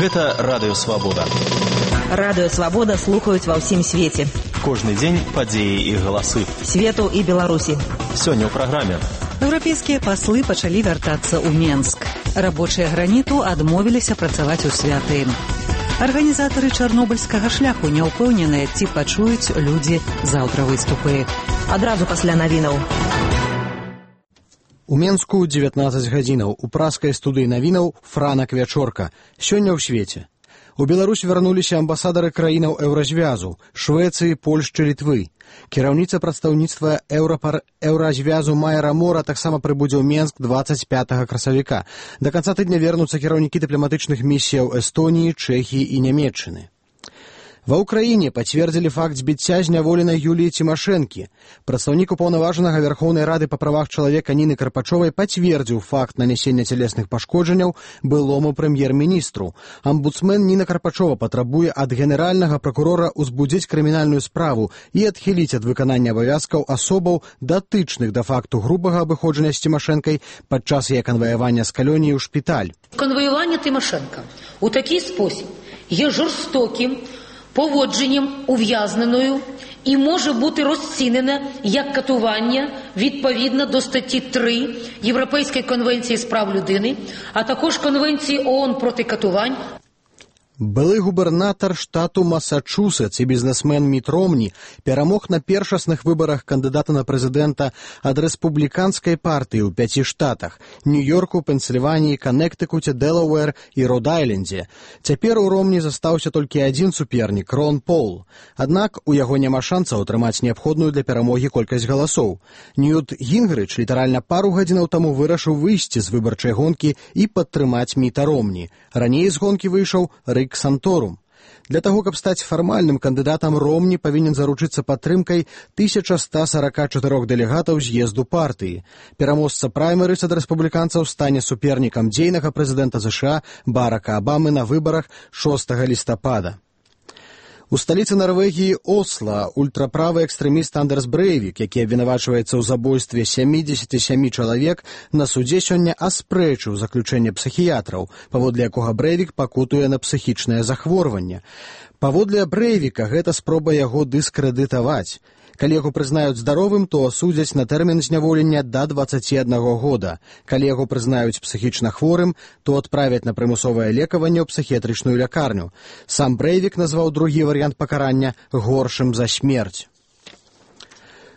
Гэта Радыё Свабода. Радыё Свабода слухаюць ва ўсім свеце. Кожны дзень падзеі і галасы. Свету і Беларусі. Сёння ў праграме. Еўрапейскія паслы пачалі вяртацца ў Менск. Рабочыя граніту адмовіліся працаваць у святы. Арганізатары чарнобыльскага шляху не ўпэўненыя, ці пачуюць людзі заўтра выступы. Адразу пасля навінаў. У Менску 19 гадзінаў. У праскай студыі навінаў Франак Вячорка. Сёння ў свеце. У Беларусь вярнуліся амбасадары краінаў Еўразвязу, Швецыі, Польшчы, Літвы. Кіраўніца прадстаўніцтва Еўразвязу Майра Мора таксама прыбудзе ў Менск 25 красавіка. Да канца тыдня вернуцца кіраўнікі дыпламатычных місіяў Эстоніі, Чэхіі і Нямецчыны. Ва ўкраіне пацвердзілі факт збіцця зняволенай Юліі Цімашэнкі. Прадстаўнік упаўнаважанага Верхоўнай Рады па правах чалавека Ніны Карпачовай пацвердзіў факт нанесення цялесных пашкоджанняў былому прэм'ер-міністру. Амбудсмен Ніна Карпачова патрабуе ад генеральнага пракурора ўзбудзіць крымінальную справу і адхіліць ад выканання абавязкаў асобаў, датычных да факту грубага абыходжання з Цімашэнкай падчас яе канваявання з калоніі ў шпіталь. Конвоювання Тимошенка у такий спосіб є жорстоким поводженням ув'язненою і може бути розцінене як катування відповідно до статті 3 Європейської конвенції з прав людини, а також Конвенції ООН проти катувань. Былы губернатар штату Масачусетс і бізнесмен Міт Ромні перамог на першасных выбарах кандыдата на прэзідэнта ад рэспубліканскай партыі ў 5 штатах – Нью-Йорку, Пенсільваніі, Каннектыкуце, Дэлауэр і Род-Айлендзе. Цяпер у Ромні застаўся толькі адзін супернік – Рон Пол. Аднак у яго няма шансаў атрымаць неабходную для перамогі колькасць галасоў. Ньют Гінгрыч літаральна пару гадзінаў таму вырашыў выйсці з выбарчай гонкі і падтрымаць Міта Ромні. Раней з гонкі выйшаў Рик Санторум. Для таго, каб стаць фармальным кандыдатам, Ромні павінен заручыцца падтрымкай 1144 дэлегатаў з'езду партыі. Пераможца праймерыс ад рэспубліканцаў стане супернікам дзейнага прэзідэнта США Барака Абамы на выбарах 6 лістапада. У сталіцы Нарвегіі Осла ультраправы экстрэміст Андерс Брэйвік, які абвінавачваецца ў забойстве 77 чалавек, на судзе сёння аспрэчыў заключэнне псіхіятраў, паводле якога Брэйвік пакутуе на псіхічнае захворванне. Паводле Брэйвіка гэта спроба яго дыскрэдытаваць. Калі яго прызнаюць здаровым, то асудзяць на тэрмін зняволення да 21 года. Калі яго прызнаюць псіхічна хворым, то адправяць на прымусовае лекаванне ў псіхіятрычную лякарню. Сам Брэйвік назваў другі варыянт пакарання горшым за смерць.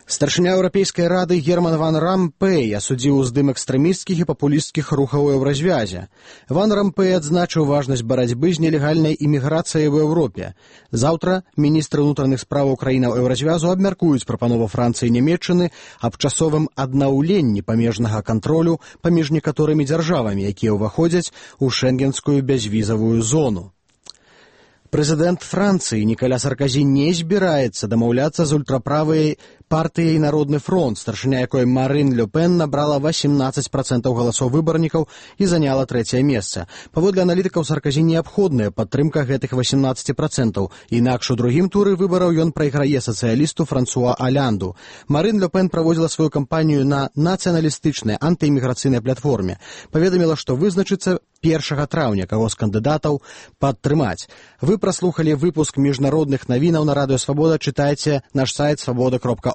Старшыня Еўрапейскай рады Герман ван Рампэй асудзіў уздым экстрэмісцкіх і папулісцкіх рухаў у Еўразвязе. Ван Рампэй адзначыў важнасць барацьбы з нелегальнай іміграцыяй у Еўропе. Заўтра міністры ўнутраных справаў краінаў Еўразвязу абмяркуюць прапанову Францыі і Нямецчыны аб часовым аднаўленні памежнага кантролю паміж некаторымі дзяржавамі, якія ўваходзяць у шэнгенскую бязвізавую зону. Прэзідэнт Францыі Нікаля Сарказі не збіраецца дамаўляцца з ультраправай партыяй «Народны фронт», старшыня якой Марин Ле Пен набрала 18% галасоў выбарнікаў і заняла 3-е месца. Паводле аналітыкаў Сарказі неабходная падтрымка гэтых 18%, інакш у другім туры выбараў ён прайграе сацыялісту Франсуа Алянду. Марин Ле Пен праводзіла сваю кампанію на нацыяналістычнай антыіміграцыйнай платформе. Паведаміла, што вызначыцца 1 траўня, каго з кандыдатаў падтрымаць. Вы праслухалі выпуск міжнародных навінаў на Радыё Свабода. Чытайце наш сайт свабода.орг.